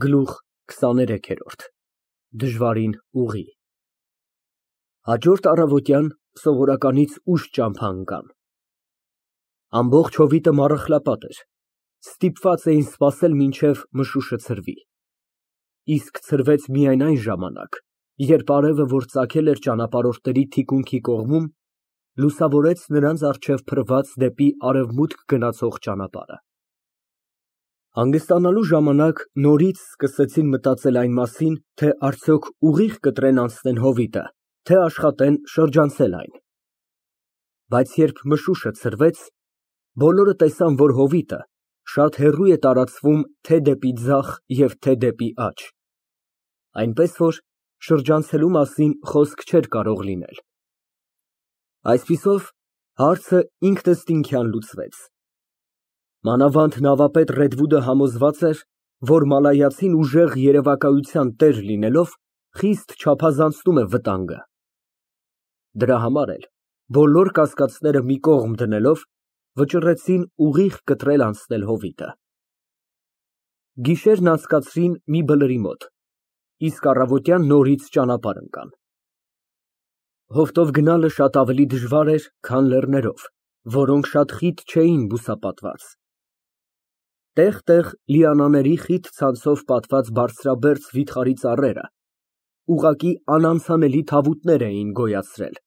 Գլուխ 23 Դժվարին ուղի Հաջորդ առավոտյան սովորականից ուշ ճամփա ընկան։ Ամբողջ հովիտը մառախլապատ էր, ստիպված էին սպասել մինչև մշուշը ցրվի, իսկ ցրվեց միայն այն ժամանակ, երբ արևը, որ ծագել էր ճանապարհորդների թիկունքի կողմում, լուսավորեց նրանց առջև փռված դեպի արևմուտք գնացող ճանապարհը։ Հանգստանալու ժամանակ նորից սկսեցին մտածել այն մասին, թե արդյոք ուղիղ կտրեն անցնեն հովիտը, թե աշխատեն շրջանցել այն։ Բայց երբ մշուշը ցրվեց, բոլորը տեսան, որ հովիտը շատ հեռու է տարածվում թե դեպի ձախ և թե դեպի աջ, այնպես որ շրջանցելու մասին խոսք չէր կարող լինել։ Այսպիսով, հարցը ինքնըստինքյան լուծվեց։ Մանավանդ նավապետ Ռեդվուդը համոզված էր, որ մալայացին ուժեղ երևակայության տեր լինելով, խիստ չափազանցնում է վտանգը։ Դրա համար էլ, բոլոր կասկածները մի կողմ դնելով, վճռեցին ուղիղ կտրել անցնել հովիտը։ Գիշերն անցկացրին մի բլրի մոտ, իսկ առավոտյան նորից ճանապարհ ընկան։ Հովտով գնալը շատ ավելի դժվար էր, քան լեռներով, որոնք շատ խիտ չէին բուսապատված։ Տեղ֊տեղ լիանաների խիտ ցանցով պատված բարձրաբերձ վիթխարի ծառերը ուղղակի անանցանելի թավուտներ էին գոյացրել,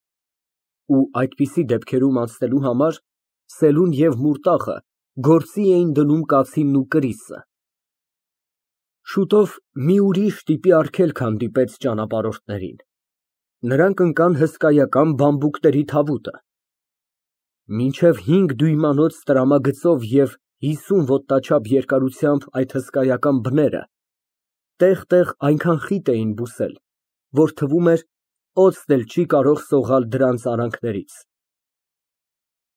ու այդպիսի դեպքերում անցնելու համար Սելուն և Մուրտախը գործի էին դնում կացինն ու կրիսը։ Շուտով մի ուրիշ տիպի արգելք հանդիպեց ճանապարհորդներին։ Նրանք ընկան հսկայական բամբուկների թավուտը։ Մինչև 5 դույմանոց տրամագծով և 50 ոտնաչափ երկարությամբ այդ հսկայական բները տեղ֊տեղ այնքան խիտ էին բուսել, որ թվում էր օձն էլ չի կարող սողալ դրանց արանքներից։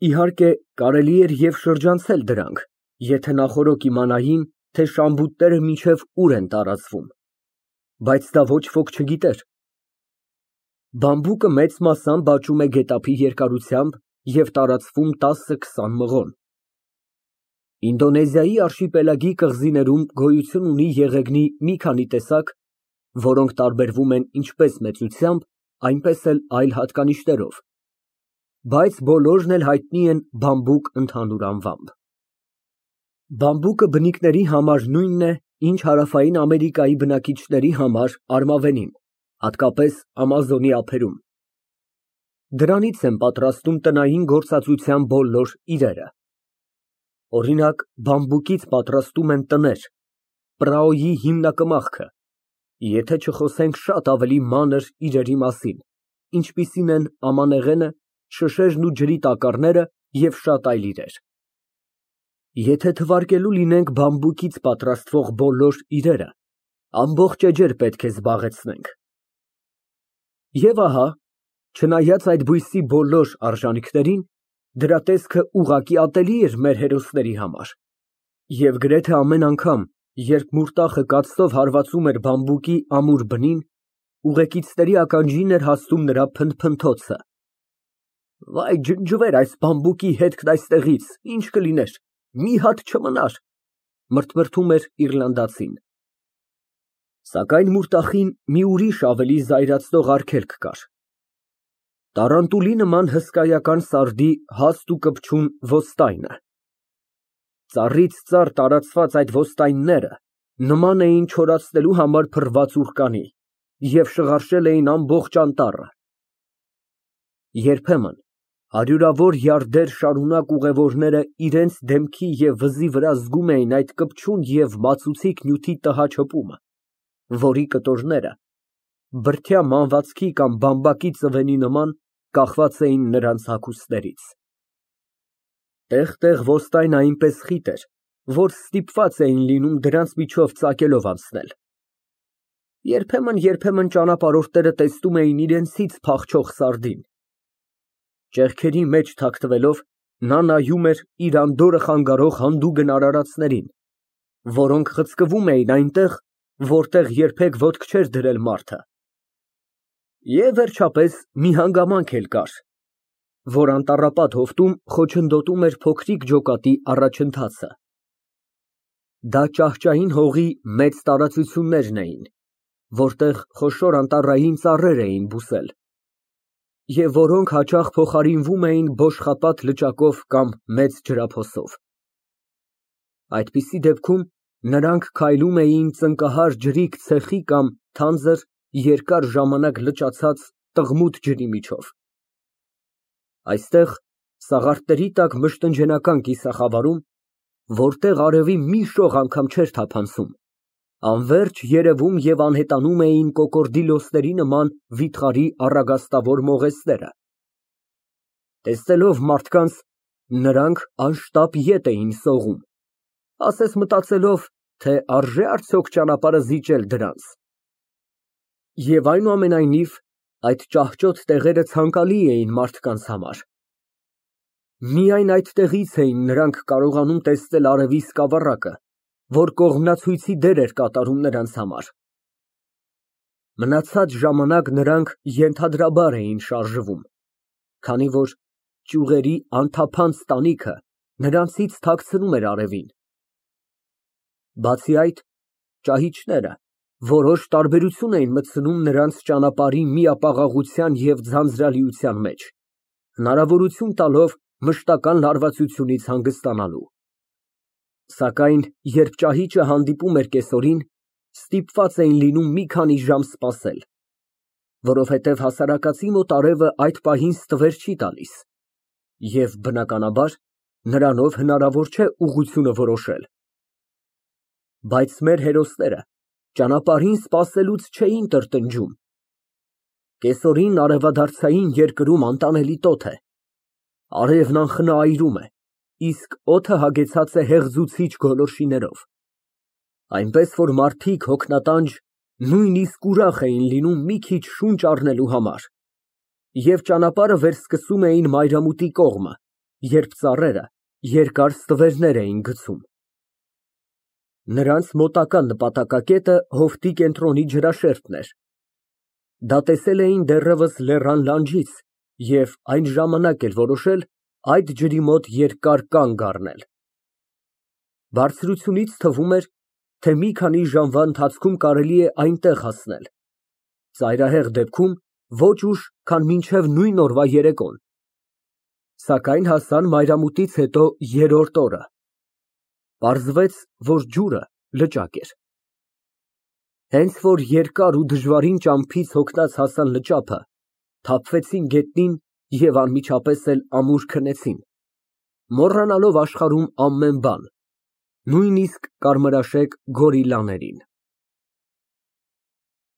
Իհարկե, կարելի էր և շրջանցել դրանք, եթե նախօրոք իմանային, թե շամբուտները մինչև ուր են տարածվում, բայց դա ոչ ոք չգիտեր։ Բամբուկը մեծ մասամբ աճում է գետափի երկարությամբ և տարածվում 10-20 մղոն։ Ինդոնեզիայի արշիպելագի կղզիներում գոյություն ունի եղեգնի մի քանի տեսակ, որոնք տարբերվում են ինչպես մեծությամբ, այնպես էլ այլ հատկանիշներով, բայց բոլորն էլ հայտնի են բամբուկ ընդհանուր անվամբ։ Բամբուկը բնիկների համար նույնն է, ինչ Հարավային Ամերիկայի բնակիչների համար արմավենին, հատկապես Ամազոնի ափերում։ Դրանից են պատրաստում տնային գործածության բոլոր իրերը։ Օրինակ, բամբուկից պատրաստում են տներ, պրաոյի հիմնակմախքը, եթե չխոսենք շատ ավելի մանր իրերի մասին, ինչպիսին են ամանեղենը, շշերն ու ջրի տակառները և շատ այլ իրեր։ Եթե թվարկելու լինենք բամբուկից պատրաստվող բոլոր իրերը, ամբողջ էջեր պետք է զբաղեցնենք։ Եվ ահա, չնայած այդ բույսի բոլոր արժանիքներին, դրա տեսքը ուղղակի ատելի էր մեր հերոսների համար, և գրեթե ամեն անգամ, երբ Մուրտախը կացտով հարվածում էր բամբուկի ամուր բնին, ուղեկիցների ականջին էր հասնում նրա փնթփնթոցը. «Վայ, ջնջվեր այս բամբուկի հետքն այստեղից, ինչ կլիներ, մի հատ չմնար», մրթմրթում էր իռլանդացին։ Սակայն Մուրտախին մի ուրիշ ավելի զայրացնող արգելք կար։ Տարանտուլի նման հսկայական սարդի հաստ ու կպչուն ոստայնը։ Ծառից ծառ տարածված այդ ոստայնները նման էին չորացնելու համար փռված ուռկանի և շղարշել էին ամբողջ անտառը։ Երբեմն հարյուրավոր յարդեր շարունակ ուղևորները իրենց դեմքի և վզի վրա զգում էին այդ կպչուն և մածուցիկ նյութի տհաճ հպումը, որի կտորները բրդյա մանվածքի կամ բամբակի ծվենի նման կախված էին նրանց հագուստներից։ Տեղ֊տեղ ոստայնը այնպես խիտ էր, որ ստիպված էին լինում դրանց միջով ծակելով անցնել։ Երբեմն ճանապարհորդները տեսնում էին իրենցից փախչող սարդին։ Ճեղքերի մեջ թաքնվելով, նա նայում էր իր անդորրը խանգարող հանդուգն արարածներին, որոնք խցկվում էին այնտեղ, որտեղ երբեք ոտք չէր դրել մարդը։ Եվ վերջապես մի հանգամանք էլ կար, որ անտառապատ հովտում խոչընդոտում էր փոքրիկ ջոկատի առաջընթացը։ Դա ճահճային հողի մեծ տարածություններն էին, որտեղ խոշոր անտառային ծառեր էին բուսել, և որոնք հաճախ փոխարինվում էին բոշխապատ լճակով կամ մեծ ջրափոսով։ Այդպիսի դեպքում նրանք քայլում էին ծնկահար ջրիկ ցեխի կամ թանձր, երկար ժամանակ լճացած տղմուտ ջրի միջով։ Այստեղ, սաղարթների տակ մշտնջենական կիսախավարում, որտեղ արևի մի շող անգամ չէր թափանցում, անվերջ երևում և անհետանում էին կոկորդիլոսների նման վիթխարի առագաստավոր մողեսները։ Տեսնելով մարդկանց, նրանք անշտապ ետ էին սողում, ասես մտածելով, թե արժե՞ արդյոք ճանապարհը զիջել դրանց։ Եվ այնուամենայնիվ, այդ ճահճոտ տեղերը ցանկալի էին մարդկանց համար։ Միայն այդտեղից էին նրանք կարողանում տեսնել արևի սկավառակը, որ կողմնացույցի դեր էր կատարում նրանց համար։ Մնացած ժամանակ նրանք ենթադրաբար էին շարժվում, քանի որ ճյուղերի անթափանց տանիքը նրանցից թաքցնում էր արևին։ Բացի այդ, ճահիճները որոշ տարբերություն էին մտցնում նրանց ճանապարհի միապաղաղության և ձանձրալիության մեջ, հնարավորություն տալով մշտական լարվածությունից հանգստանալու։ Սակայն երբ ճահիճը հանդիպում էր կեսօրին, ստիպված էին լինում մի քանի ժամ սպասել, որովհետև հասարակածի մոտ արևը այդ պահին ստվեր չի տալիս, և բնականաբար, նրանով հնարավոր չէ ուղղությունը որոշել։ Բայց մեր հերոսները ճանապարհին սպասելուց չէին տրտնջում։ Կեսօրին արևադարձային երկրում անտանելի տոթ է, արևն անխնա այրում է, իսկ օդը հագեցած է հեղձուցիչ գոլորշիներով, այնպես որ մարդիկ հոգնատանջ, նույնիսկ ուրախ էին լինում մի քիչ շունչ առնելու համար, և ճանապարհը վերսկսում էին մայրամուտի կողմը, երբ ծառերը երկար ստվերներ էին գցում։ Նրանց մոտակա նպատակակետը հովտի կենտրոնի ջրաշերտն էր։ Դա տեսել էին դեռևս լեռան լանջից և այն ժամանակ էլ որոշել այդ ջրի մոտ երկար կանգ առնել։ Բարձրությունից թվում էր, թե մի քանի ժամվա ընթացքում կարելի է այնտեղ հասնել, ծայրահեղ դեպքում ոչ ուշ, քան մինչև նույն օրվա երեկոն։ Սակայն հասան մայրամուտից հետո երրորդ օրը։ Պարզվեց, որ ջուրը լճակ էր։ Հենց որ երկար ու դժվարին ճամփից հոգնած հասան լճափը, թափվեցին գետնին և անմիջապես էլ ամուր քնեցին, մոռանալով աշխարհում ամեն բան, նույնիսկ կարմրաշեկ գորիլլաներին։